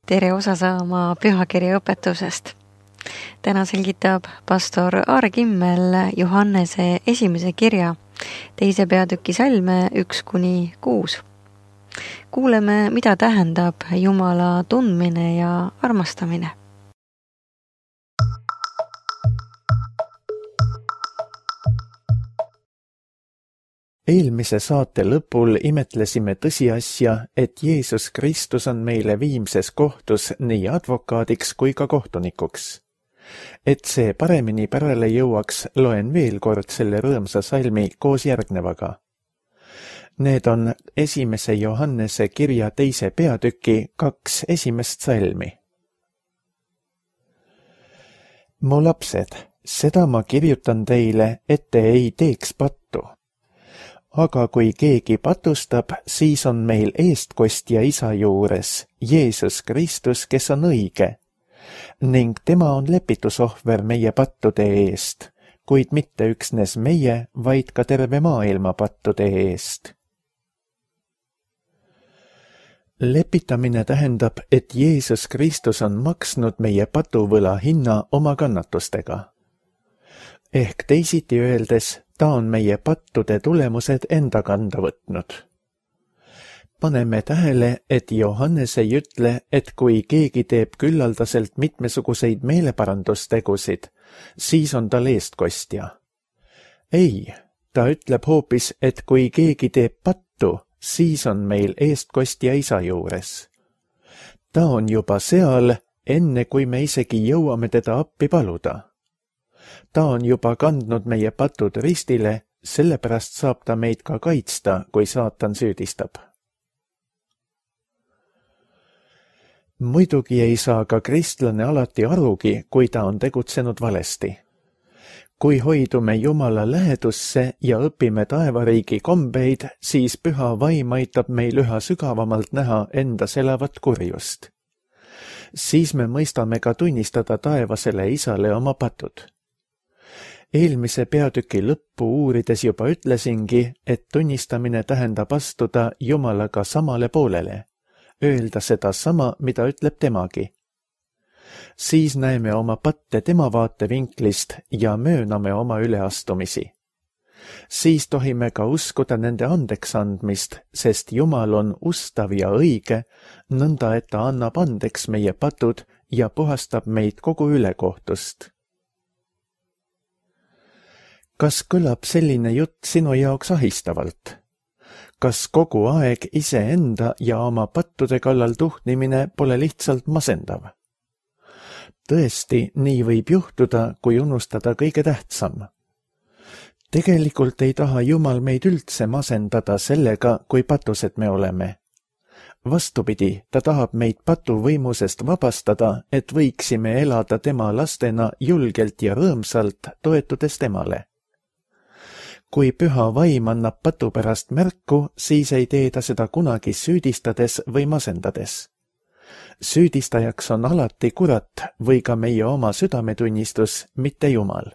Tere osa saama pühakirja õpetusest. Täna selgitab pastor Aare Kimmel Johannese esimese kirja 2. peatüki salme 1-6. Kuuleme, mida tähendab Jumala tundmine ja armastamine. Eelmise saate lõpul imetlesime tõsiasja, et Jeesus Kristus on meile viimses kohtus nii advokaadiks kui ka kohtunikuks. Et see paremini pärale jõuaks, loen veel kord selle rõõmsa salmi koos järgnevaga. Need on 1. Johannese kirja 2. peatüki 2 esimest salmi. Mu lapsed, seda ma kirjutan teile, et te ei teeks pattu. Aga kui keegi patustab, siis on meil eestkostja Isa juures, Jeesus Kristus, kes on õige, ning tema on lepitusohver meie pattude eest, kuid mitte üksnes meie, vaid ka terve maailma pattude eest. Lepitamine tähendab, et Jeesus Kristus on maksnud meie patuvõla hinna oma kannatustega. Ehk teisiti öeldes, ta on meie pattude tulemused enda kanda võtnud. Paneme tähele, et Johannes ei ütle, et kui keegi teeb küllaldaselt mitmesuguseid meeleparandustegusid, siis on tal eestkostja. Ei, ta ütleb hoopis, et kui keegi teeb pattu, siis on meil eestkostja Isa juures. Ta on juba seal, enne kui me isegi jõuame teda appi paluda. Ta on juba kandnud meie patud ristile, sellepärast saab ta meid ka kaitsta, kui saatan süüdistab. Muidugi ei saa ka kristlane alati arugi, kui ta on tegutsenud valesti. Kui hoidume Jumala lähedusse ja õpime taevariigi kombeid, siis püha vaim aitab meil üha sügavamalt näha endas elavat kurjust. Siis me mõistame ka tunnistada taevasele Isale oma patud. Eelmise peatüki lõppu uurides juba ütlesingi, et tunnistamine tähendab astuda Jumalaga samale poolele, öelda seda sama, mida ütleb temagi. Siis näeme oma patte tema vaatevinklist ja mööname oma üleastumisi. Siis tohime ka uskuda nende andeks andmist, sest Jumal on ustav ja õige, nõnda et ta annab andeks meie patud ja puhastab meid kogu ülekohtust. Kas kõlab selline jutt sinu jaoks ahistavalt? Kas kogu aeg iseenda ja oma pattude kallal tuhnimine pole lihtsalt masendav? Tõesti, nii võib juhtuda, kui unustada kõige tähtsam. Tegelikult ei taha Jumal meid üldse masendada sellega, kui patused me oleme. Vastupidi, ta tahab meid patuvõimusest vabastada, et võiksime elada tema lastena julgelt ja rõõmsalt, toetudes temale. Kui püha vaim annab patu pärast märku, siis ei tee ta seda kunagi süüdistades või masendades. Süüdistajaks on alati kurat või ka meie oma südametunnistus, mitte Jumal.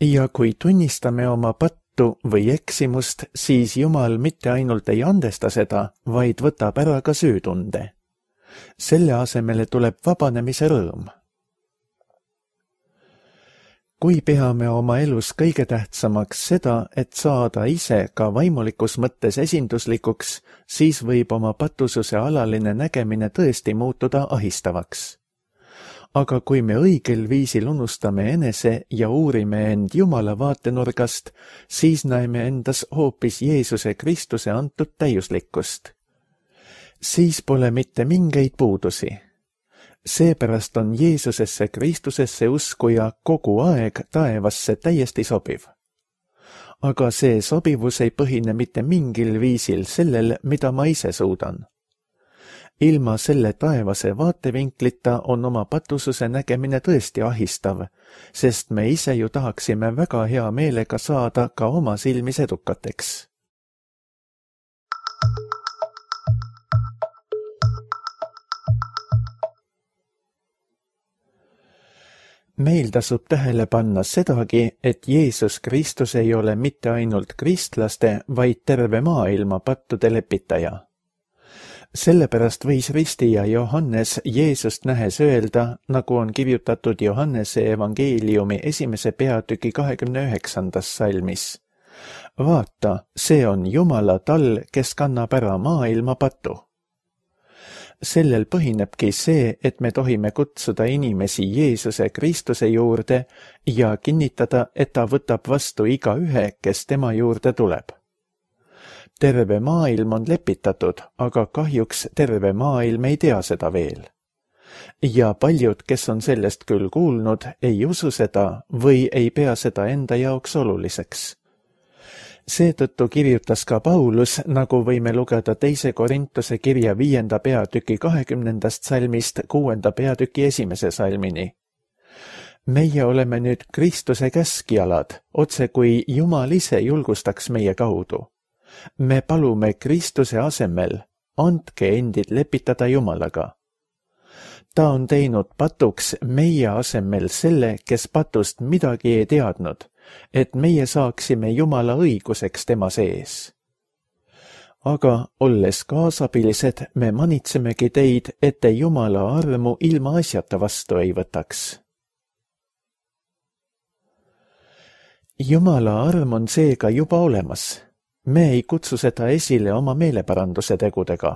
Ja kui tunnistame oma pattu või eksimust, siis Jumal mitte ainult ei andesta seda, vaid võtab ära ka süütunde. Selle asemele tuleb vabanemise rõõm. Kui peame oma elus kõige tähtsamaks seda, et saada ise ka vaimulikus mõttes esinduslikuks, siis võib oma patususe alaline nägemine tõesti muutuda ahistavaks. Aga kui me õigel viisil unustame enese ja uurime end Jumala vaatenurgast, siis näeme endas hoopis Jeesuse Kristuse antud täiuslikkust. Siis pole mitte mingeid puudusi. Seepärast on Jeesusesse Kristusesse uskuja kogu aeg taevasse täiesti sobiv. Aga see sobivus ei põhine mitte mingil viisil sellel, mida ma ise suudan. Ilma selle taevase vaatevinklita on oma patususe nägemine tõesti ahistav, sest me ise ju tahaksime väga hea meelega saada ka oma silmis edukateks. Meil tasub tähele panna sedagi, et Jeesus Kristus ei ole mitte ainult kristlaste, vaid terve maailma pattude lepitaja. Sellepärast võis ristija Johannes Jeesust nähes öelda, nagu on kirjutatud Johannese evangeeliumi 1. peatüki 29. salmis. Vaata, see on Jumala tall, kes kannab ära maailma patu. Sellel põhinebki see, et me tohime kutsuda inimesi Jeesuse Kristuse juurde ja kinnitada, et ta võtab vastu igaühe, kes tema juurde tuleb. Terve maailm on lepitatud, aga kahjuks terve maailm ei tea seda veel. Ja paljud, kes on sellest küll kuulnud, ei usu seda või ei pea seda enda jaoks oluliseks. Seetõttu kirjutas ka Paulus, nagu võime lugeda 2. Korintuse kirja 5. peatüki 20. salmist 6. peatüki 1. salmini. Meie oleme nüüd Kristuse käskjalad, otse kui Jumal ise julgustaks meie kaudu. Me palume Kristuse asemel, andke endid lepitada Jumalaga. Ta on teinud patuks meie asemel selle, kes patust midagi ei teadnud, et meie saaksime Jumala õiguseks tema sees. Aga olles kaasabilised, me manitsemegi teid, et te Jumala armu ilma asjata vastu ei võtaks. Jumala arm on seega juba olemas. Me ei kutsu seda esile oma meeleparanduse tegudega.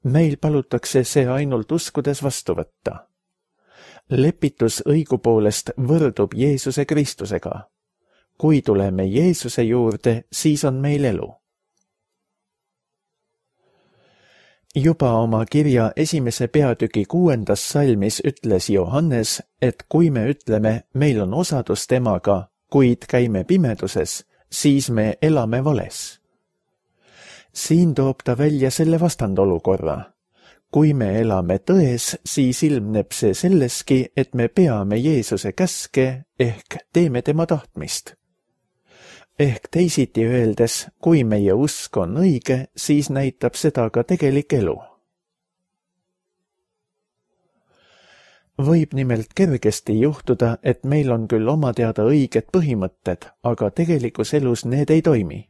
Meil palutakse see ainult uskudes vastu võtta. Lepitus õigupoolest võrdub Jeesuse Kristusega. Kui tuleme Jeesuse juurde, siis on meil elu. Juba oma kirja 1. peatüki 6. salmis ütles Johannes, et kui me ütleme, meil on osadus temaga, kuid käime pimeduses, siis me elame vales. Siin toob ta välja selle vastandolukorra. Kui me elame tões, siis ilmneb see selleski, et me peame Jeesuse käske ehk teeme tema tahtmist. Ehk teisiti öeldes, kui meie usk on õige, siis näitab seda ka tegelik elu. Võib nimelt kergesti juhtuda, et meil on küll oma teada õiged põhimõtted, aga tegelikus elus need ei toimi.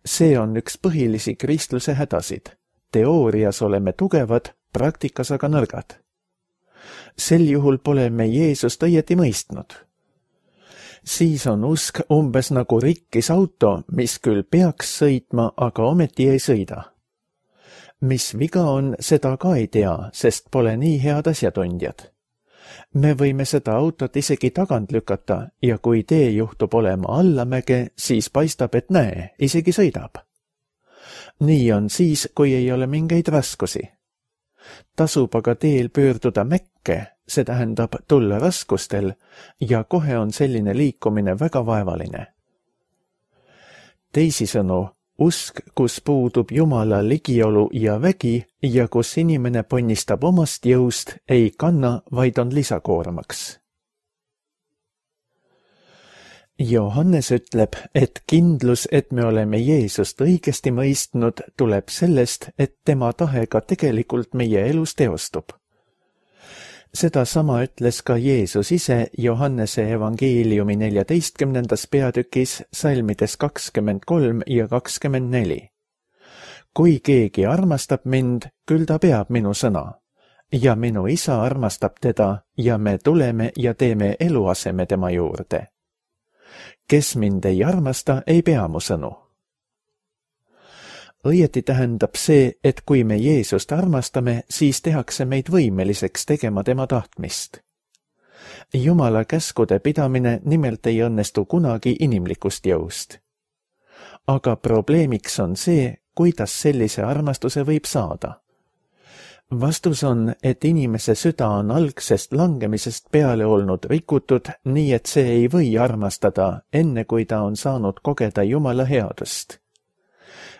See on üks põhilisi kristluse hädasid. Teoorias oleme tugevad, praktikas aga nõrgad. Sel juhul pole me Jeesust õieti mõistnud. Siis on usk umbes nagu rikkis auto, mis küll peaks sõitma, aga ometi ei sõida. Mis viga on, seda ka ei tea, sest pole nii head asjatundjad. Me võime seda autot isegi tagant lükata ja kui tee juhtub olema allamäge, siis paistab, et näe, isegi sõidab. Nii on siis, kui ei ole mingeid raskusi. Tasub aga teel pöörduda mäkke, see tähendab tulla raskustel ja kohe on selline liikumine väga vaevaline. Teisisõnu, usk, kus puudub Jumala ligiolu ja vägi ja kus inimene ponnistab omast jõust, ei kanna, vaid on lisakoormaks. Johannes ütleb, et kindlus, et me oleme Jeesust õigesti mõistnud, tuleb sellest, et tema tahe ka tegelikult meie elus teostub. Seda sama ütles ka Jeesus ise Johannese evangeeliumi 14. peatükis salmides 23 ja 24. Kui keegi armastab mind, küll ta peab minu sõna. Ja minu isa armastab teda ja me tuleme ja teeme eluaseme tema juurde. Kes mind ei armasta, ei pea mu sõnu. Õieti tähendab see, et kui me Jeesust armastame, siis tehakse meid võimeliseks tegema tema tahtmist. Jumala käskude pidamine nimelt ei õnnestu kunagi inimlikust jõust. Aga probleemiks on see, kuidas sellise armastuse võib saada. Vastus on, et inimese süda on algsest langemisest peale olnud rikutud, nii et see ei või armastada, enne kui ta on saanud kogeda Jumala headust.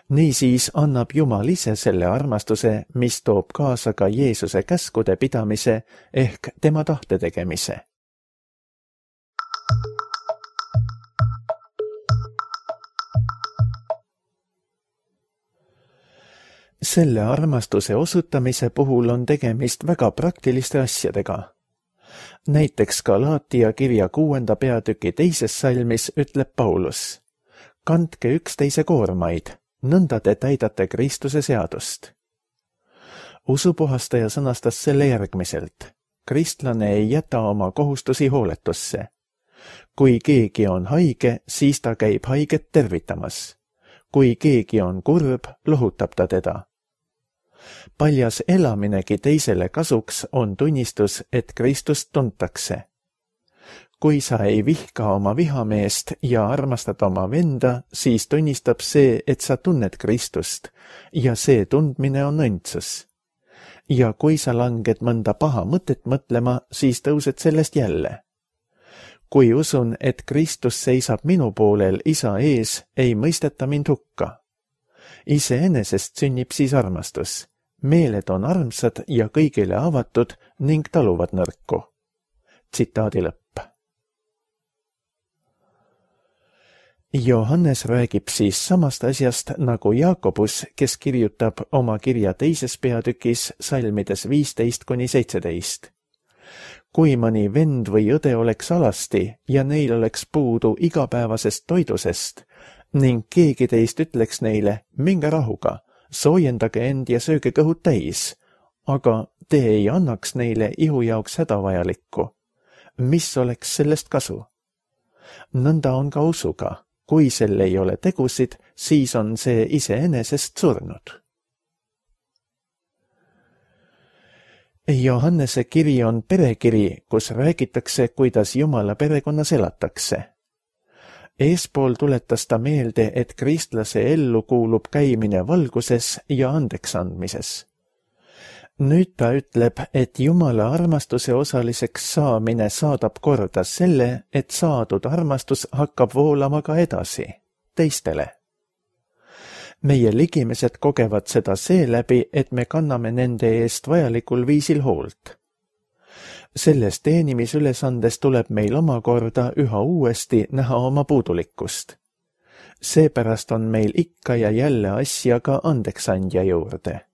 Niisiis annab Jumal ise selle armastuse, mis toob kaasa ka Jeesuse käskude pidamise ehk tema tahte tegemise. Selle armastuse osutamise puhul on tegemist väga praktiliste asjadega. Näiteks Galaatia kirja 6. peatüki 2. salmis ütleb Paulus: kandke üksteise koormaid, nõnda te täidate Kristuse seadust. Usupuhastaja sõnastas selle järgmiselt. Kristlane ei jäta oma kohustusi hooletusse. Kui keegi on haige, siis ta käib haiget tervitamas. Kui keegi on kurb, lohutab ta teda. Paljas elaminegi teisele kasuks on tunnistus, et Kristust tuntakse. Kui sa ei vihka oma vihameest ja armastad oma venda, siis tunnistab see, et sa tunned Kristust ja see tundmine on õndsus. Ja kui sa langed mõnda paha mõtet mõtlema, siis tõused sellest jälle. Kui usun, et Kristus seisab minu poolel isa ees, ei mõisteta mind hukka. Iseenesest sünnib siis armastus. Meeled on armsad ja kõigile avatud ning taluvad nõrku. Tsitaadi lõpp. Johannes räägib siis samast asjast nagu Jaakobus, kes kirjutab oma kirja 2. peatükis salmides 15-17. Kui mõni vend või õde oleks alasti ja neil oleks puudu igapäevasest toidusest ning keegi teist ütleks neile, minge rahuga, soojendage end ja sööge kõhud täis, aga te ei annaks neile ihu jaoks hädavajalikku. Mis oleks sellest kasu? Nõnda on ka usuga. Kui sel ei ole tegusid, siis on see iseenesest surnud. Johannese kiri on perekiri, kus räägitakse, kuidas Jumala perekonnas elatakse. Eespool tuletas ta meelde, et kristlase ellu kuulub käimine valguses ja andeksandmises. Nüüd ta ütleb, et Jumala armastuse osaliseks saamine saadab korda selle, et saadud armastus hakkab voolama ka edasi, teistele. Meie ligimesed kogevad seda seeläbi, et me kanname nende eest vajalikul viisil hoolt. Selles teenimisülesandes tuleb meil omakorda üha uuesti näha oma puudulikkust. Seepärast on meil ikka ja jälle asja ka andeksandja juurde.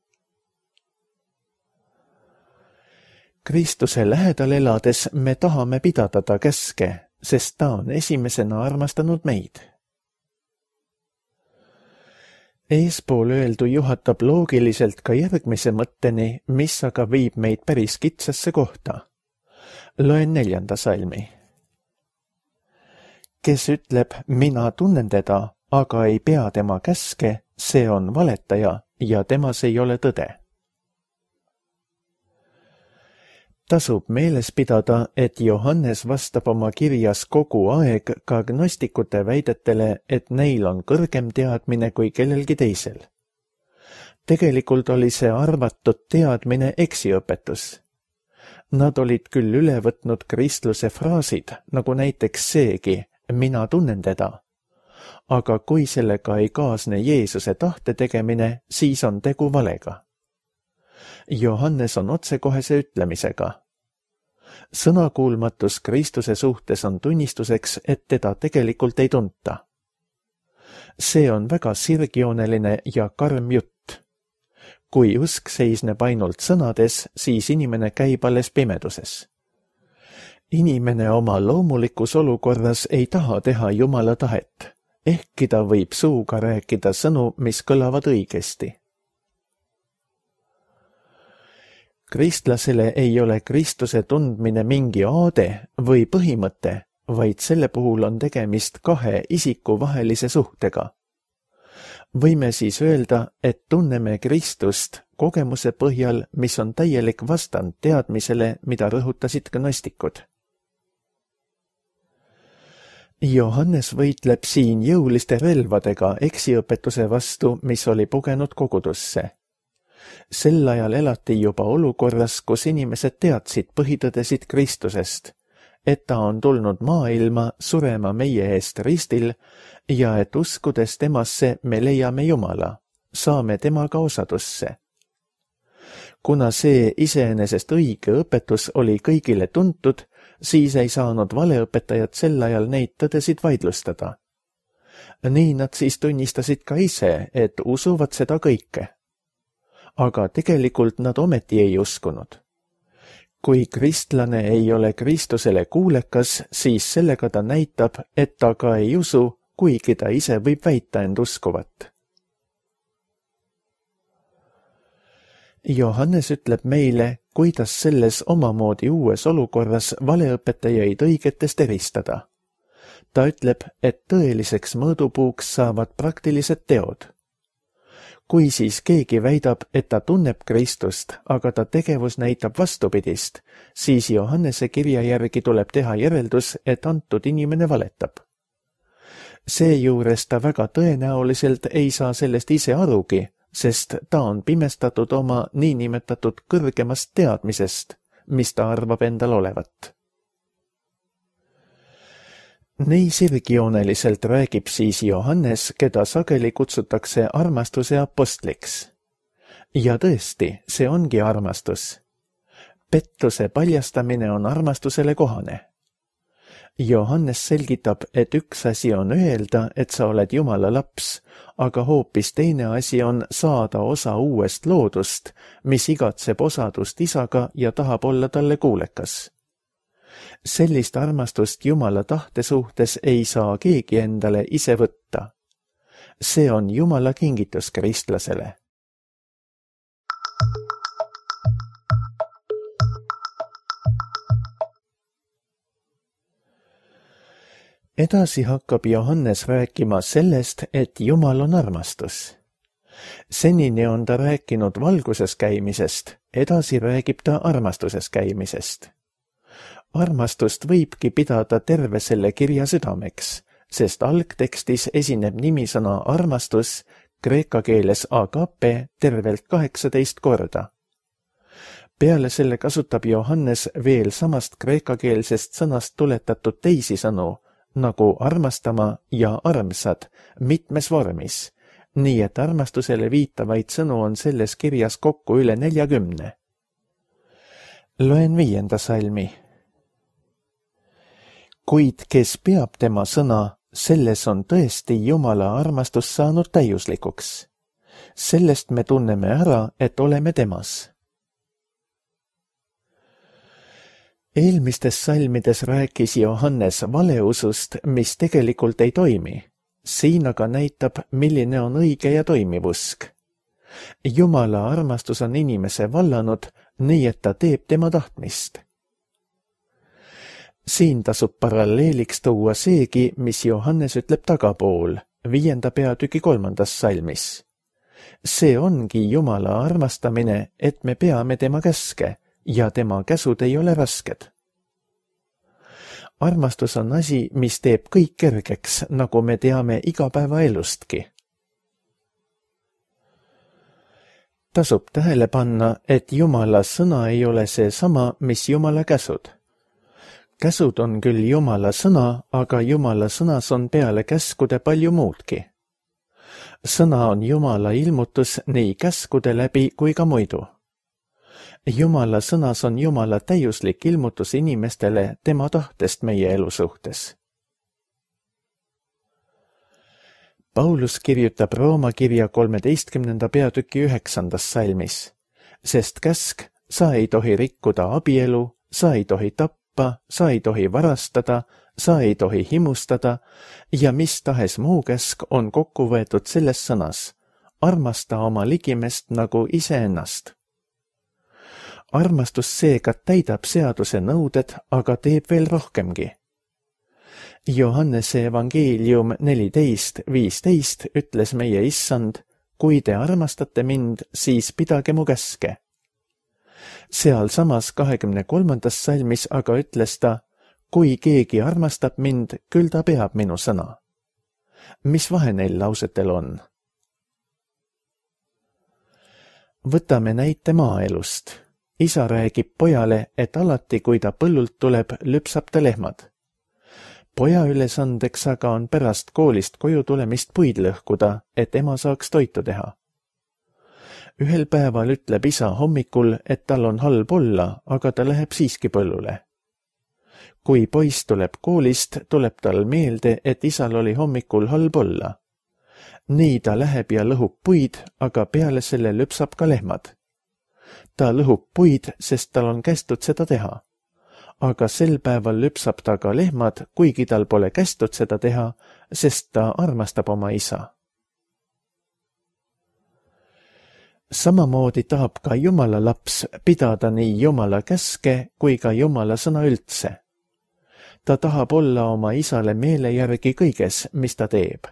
Kristuse lähedal elades me tahame pidada ta käske, sest ta on esimesena armastanud meid. Eespool öeldu juhatab loogiliselt ka järgmise mõtteni, mis aga viib meid päris kitsasse kohta. Loen 4. salmi. Kes ütleb, mina tunnen teda, aga ei pea tema käske, see on valetaja ja temas ei ole tõde. Tasub meeles pidada, et Johannes vastab oma kirjas kogu aeg ka gnostikute väidetele, et neil on kõrgem teadmine kui kellelgi teisel. Tegelikult oli see arvatud teadmine eksiõpetus. Nad olid küll üle võtnud kristluse fraasid, nagu näiteks seegi, mina tunnen teda. Aga kui sellega ei kaasne Jeesuse tahte tegemine, siis on tegu valega. Johannes on otsekohese ütlemisega. Sõnakuulmatus Kristuse suhtes on tunnistuseks, et teda tegelikult ei tunta. See on väga sirgjooneline ja karm jutt. Kui usk seisneb ainult sõnades, siis inimene käib alles pimeduses. Inimene oma loomulikus olukorras ei taha teha Jumala tahet, ehkki ta võib suuga rääkida sõnu, mis kõlavad õigesti. Kristlasele ei ole Kristuse tundmine mingi aade või põhimõte, vaid selle puhul on tegemist kahe isiku vahelise suhtega. Võime siis öelda, et tunneme Kristust kogemuse põhjal, mis on täielik vastand teadmisele, mida rõhutasid gnostikud. Johannes võitleb siin jõuliste relvadega eksiõpetuse vastu, mis oli pugenud kogudusse. Sel ajal elati juba olukorras, kus inimesed teadsid põhitõdesid Kristusest, et ta on tulnud maailma surema meie eest ristil ja et uskudes temasse me leiame Jumala, saame temaga osadusse. Kuna see iseenesest õige õpetus oli kõigile tuntud, siis ei saanud valeõpetajad sel ajal neid tõdesid vaidlustada. Nii nad siis tunnistasid ka ise, et usuvad seda kõike. Aga tegelikult nad ometi ei uskunud. Kui kristlane ei ole Kristusele kuulekas, siis sellega ta näitab, et ta ka ei usu, kuigi ta ise võib väita end uskuvat. Johannes ütleb meile, kuidas selles omamoodi uues olukorras valeõpetajaid õigetest eristada. Ta ütleb, et tõeliseks mõõdupuuks saavad praktilised teod. Kui siis keegi väidab, et ta tunneb Kristust, aga ta tegevus näitab vastupidist, siis Johannese kirja järgi tuleb teha järeldus, et antud inimene valetab. Seejuures ta väga tõenäoliselt ei saa sellest ise arugi, sest ta on pimestatud oma niinimetatud kõrgemast teadmisest, mis ta arvab endal olevat. Nii sirgjooneliselt räägib siis Johannes, keda sageli kutsutakse armastuse apostliks. Ja tõesti, see ongi armastus. Pettuse paljastamine on armastusele kohane. Johannes selgitab, et üks asi on öelda, et sa oled Jumala laps, aga hoopis teine asi on saada osa uuest loodust, mis igatseb osadust isaga ja tahab olla talle kuulekas. Sellist armastust Jumala tahte suhtes ei saa keegi endale ise võtta. See on Jumala kingitus kristlasele. Edasi hakkab Johannes rääkima sellest, et Jumal on armastus. Senini on ta rääkinud valguses käimisest, edasi räägib ta armastuses käimisest. Armastust võibki pidada terve selle kirja südameks, sest algtekstis esineb nimisõna armastus kreeka keeles agape tervelt 18 korda. Peale selle kasutab Johannes veel samast kreekakeelsest sõnast tuletatud teisi sõnu, nagu armastama ja armsad, mitmes vormis, nii et armastusele viitavaid sõnu on selles kirjas kokku üle 40. Loen 5. salmi. Kuid kes peab tema sõna, selles on tõesti Jumala armastus saanud täiuslikuks. Sellest me tunneme ära, et oleme temas. Eelmistes salmides rääkis Johannes valeusust, mis tegelikult ei toimi. Siin aga näitab, milline on õige ja toimiv usk. Jumala armastus on inimese vallanud, nii et ta teeb tema tahtmist. Siin tasub paralleeliks tuua seegi, mis Johannes ütleb tagapool, 5. peatüki 3. salmis. See ongi Jumala armastamine, et me peame tema käske ja tema käsud ei ole rasked. Armastus on asi, mis teeb kõik kergeks, nagu me teame igapäevaelustki. Tasub tähele panna, et Jumala sõna ei ole see sama, mis Jumala käsud. Käsud on küll Jumala sõna, aga Jumala sõnas on peale käskude palju muudki. Sõna on Jumala ilmutus nii käskude läbi kui ka muidu. Jumala sõnas on Jumala täiuslik ilmutus inimestele tema tahtest meie elu suhtes. Paulus kirjutab Rooma kirja 13. peatüki 9. salmis, sest käsk, sa ei tohi rikkuda abielu, sa ei tohi tappa, sa ei tohi varastada, sa ei tohi himustada ja mis tahes muu käsk on kokku võetud selles sõnas, armasta oma ligimest nagu iseennast. Armastus seega täidab seaduse nõuded, aga teeb veel rohkemgi. Johannese evangeelium 14.15 ütles meie issand, kui te armastate mind, siis pidage mu käske. Seal samas 23. salmis aga ütles ta, kui keegi armastab mind, küll ta peab minu sõna. Mis vahe neil lausetel on? Võtame näite maaelust. Isa räägib pojale, et alati, kui ta põllult tuleb, lüpsab ta lehmad. Poja ülesandeks aga on pärast koolist koju tulemist puid lõhkuda, et ema saaks toitu teha. Ühel päeval ütleb isa hommikul, et tal on halb olla, aga ta läheb siiski põllule. Kui poiss tuleb koolist, tuleb tal meelde, et isal oli hommikul halb olla. Nii ta läheb ja lõhub puid, aga peale selle lüpsab ka lehmad. Ta lõhub puid, sest tal on kästud seda teha. Aga sel päeval lüpsab ta ka lehmad, kuigi tal pole kästud seda teha, sest ta armastab oma isa. Samamoodi tahab ka Jumala laps pidada nii Jumala käske kui ka Jumala sõna üldse. Ta tahab olla oma isale meele järgi kõiges, mis ta teeb.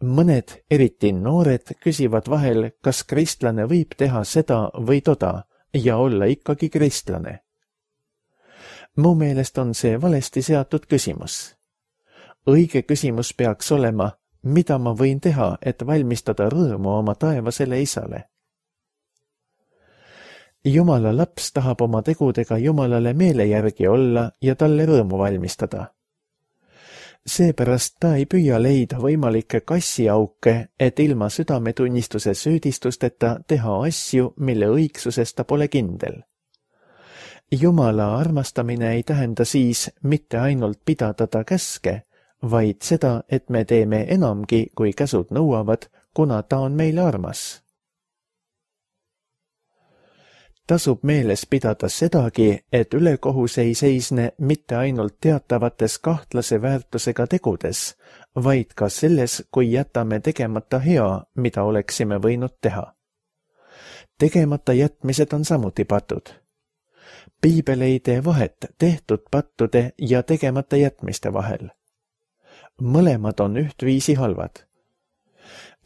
Mõned, eriti noored, küsivad vahel, kas kristlane võib teha seda või toda ja olla ikkagi kristlane. Mu meelest on see valesti seatud küsimus. Õige küsimus peaks olema, mida ma võin teha, et valmistada rõõmu oma taevasele isale. Jumala laps tahab oma tegudega Jumalale meele järgi olla ja talle rõõmu valmistada. Seepärast ta ei püüa leida võimalikke kassiauke, et ilma südametunnistuse süüdistusteta teha asju, mille õigsuses ta pole kindel. Jumala armastamine ei tähenda siis mitte ainult pidada ta käske, vaid seda, et me teeme enamgi, kui käsud nõuavad, kuna ta on meile armas. Tasub meeles pidada sedagi, et ülekohus ei seisne mitte ainult teatavates kahtlase väärtusega tegudes, vaid ka selles, kui jätame tegemata hea, mida oleksime võinud teha. Tegemata jätmised on samuti patud. Piibel ei tee vahet tehtud pattude ja tegemata jätmiste vahel. Mõlemad on ühtviisi halvad.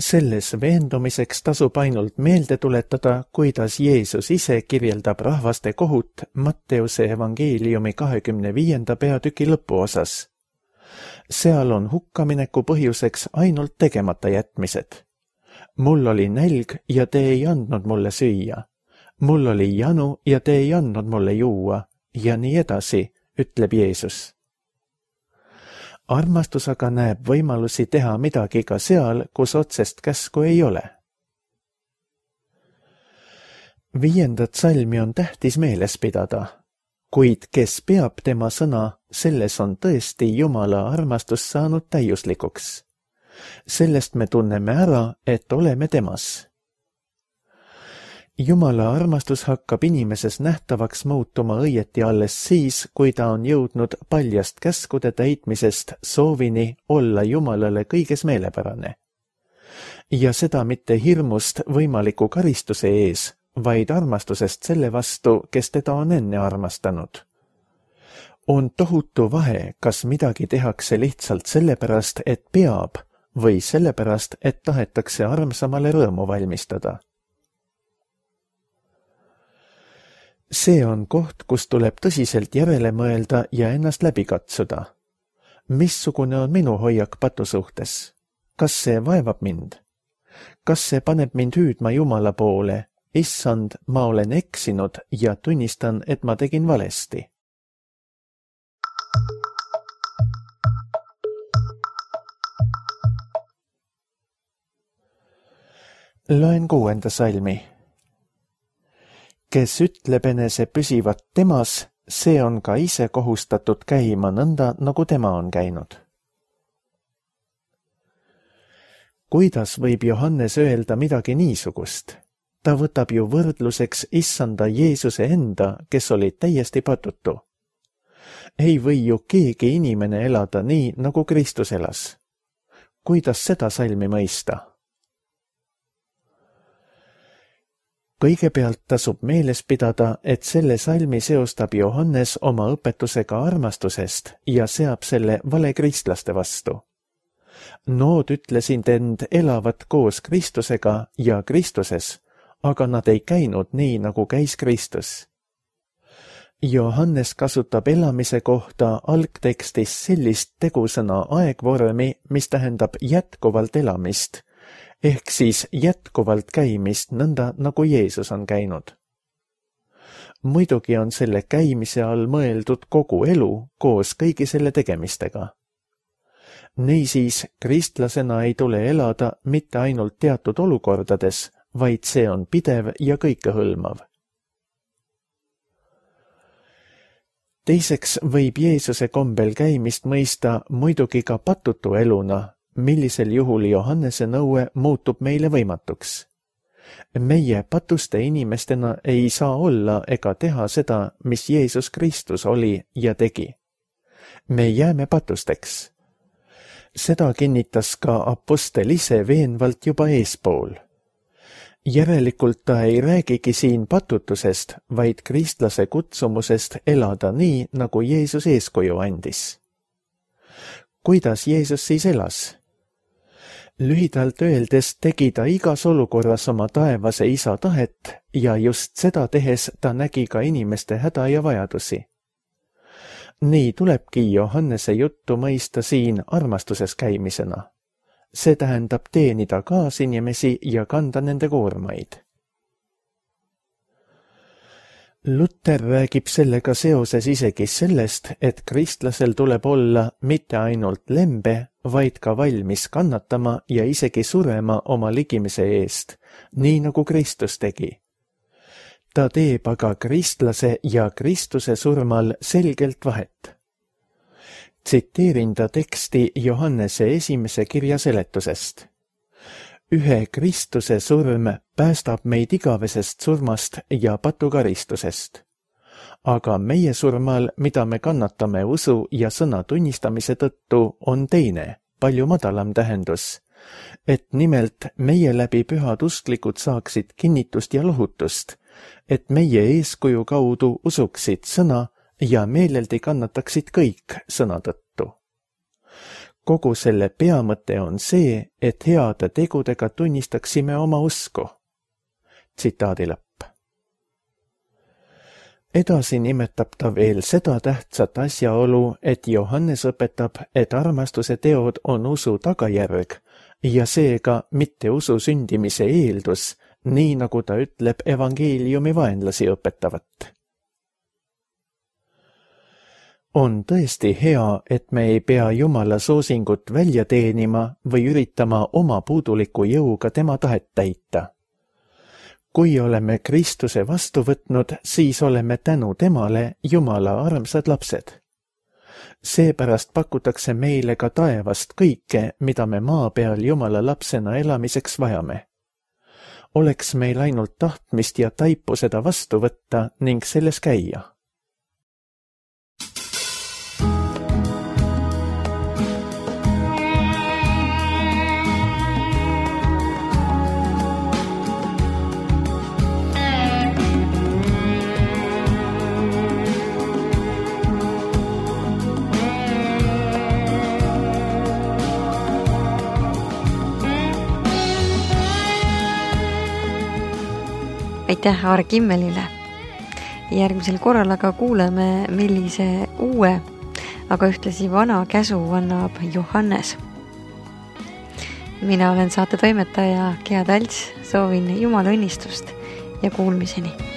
Selles veendumiseks tasub ainult meelde tuletada, kuidas Jeesus ise kirjeldab rahvaste kohut Matteuse evangeeliumi 25. peatüki lõpuosas. Seal on hukkamineku põhjuseks ainult tegemata jätmised. Mul oli nälg ja te ei andnud mulle süüa. Mul oli janu ja te ei andnud mulle juua ja nii edasi, ütleb Jeesus. Armastus aga näeb võimalusi teha midagi ka seal, kus otsest käsku ei ole. 5. salmi on tähtis meeles pidada, kuid kes peab tema sõna, selles on tõesti Jumala armastus saanud täiuslikuks. Sellest me tunneme ära, et oleme temas. Jumala armastus hakkab inimeses nähtavaks muutuma õieti alles siis, kui ta on jõudnud paljast käskude täitmisest soovini olla Jumalale kõiges meelepärane. Ja seda mitte hirmust võimaliku karistuse ees, vaid armastusest selle vastu, kes teda on enne armastanud. On tohutu vahe, kas midagi tehakse lihtsalt sellepärast, et peab, või sellepärast, et tahetakse armsamale rõõmu valmistada. See on koht, kus tuleb tõsiselt järele mõelda ja ennast läbi katsuda. Missugune on minu hoiak patu suhtes? Kas see vaevab mind? Kas see paneb mind hüüdma Jumala poole? Issand, ma olen eksinud ja tunnistan, et ma tegin valesti. Loen 6. salmi. Kes ütleb enese püsivat temas, see on ka ise kohustatud käima nõnda, nagu tema on käinud. Kuidas võib Johannes öelda midagi niisugust? Ta võtab ju võrdluseks issanda Jeesuse enda, kes oli täiesti patutu. Ei või ju keegi inimene elada nii, nagu Kristus elas. Kuidas seda salmi mõista? Kõigepealt tasub meeles pidada, et selle salmi seostab Johannes oma õpetusega armastusest ja seab selle valekristlaste vastu. Nood ütlesid end elavat koos Kristusega ja Kristuses, aga nad ei käinud nii, nagu käis Kristus. Johannes kasutab elamise kohta algtekstis sellist tegusõna aegvormi, mis tähendab jätkuvalt elamist, ehk siis jätkuvalt käimist nõnda, nagu Jeesus on käinud. Muidugi on selle käimise all mõeldud kogu elu koos kõigi selle tegemistega. Niisiis, kristlasena ei tule elada mitte ainult teatud olukordades, vaid see on pidev ja kõikehõlmav. Teiseks võib Jeesuse kombel käimist mõista muidugi ka patutu eluna, millisel juhul Johannese nõue muutub meile võimatuks. Meie patuste inimestena ei saa olla ega teha seda, mis Jeesus Kristus oli ja tegi. Me jääme patusteks. Seda kinnitas ka apostel ise veenvalt juba eespool. Järelikult ta ei räägigi siin patutusest, vaid kristlase kutsumusest elada nii, nagu Jeesus eeskuju andis. Kuidas Jeesus siis elas? Lühidalt öeldes tegi ta igas olukorras oma taevase isa tahet ja just seda tehes ta nägi ka inimeste häda ja vajadusi. Nii tulebki Johannese juttu mõista siin armastuses käimisena. See tähendab teenida kaasinimesi ja kanda nende koormaid. Luther räägib sellega seoses isegi sellest, et kristlasel tuleb olla mitte ainult lembe, vaid ka valmis kannatama ja isegi surema oma ligimise eest, nii nagu Kristus tegi. Ta teeb aga kristlase ja Kristuse surmal selgelt vahet. Tsiteerin ta teksti Johannese esimese kirja seletusest. Ühe Kristuse surm päästab meid igavesest surmast ja patukaristusest. Aga meie surmal, mida me kannatame usu ja sõna tunnistamise tõttu, on teine, palju madalam tähendus, et nimelt meie läbi pühad usklikud saaksid kinnitust ja lohutust, et meie eeskuju kaudu usuksid sõna ja meeleldi kannataksid kõik sõna tõttu. Kogu selle peamõte on see, et heade tegudega tunnistaksime oma usku. Tsitaadi lõpp. Edasi nimetab ta veel seda tähtsat asjaolu, et Johannes õpetab, et armastuse teod on usu tagajärg ja seega mitte usu sündimise eeldus, nii nagu ta ütleb evangeeliumi vaenlasi õpetavat. On tõesti hea, et me ei pea Jumala soosingut välja teenima või üritama oma puuduliku jõuga tema tahet täita. Kui oleme Kristuse vastu võtnud, siis oleme tänu temale Jumala armsad lapsed. Seepärast pakutakse meile ka taevast kõike, mida me maa peal Jumala lapsena elamiseks vajame. Oleks meil ainult tahtmist ja taipu seda vastu võtta ning selles käia. Aitäh Aar Kimmelile. Järgmisel korral aga kuuleme, millise uue, aga ühtlasi vana käsu annab Johannes. Mina olen saate toimetaja Gea Talts, soovin Jumala õnnistust ja kuulmiseni.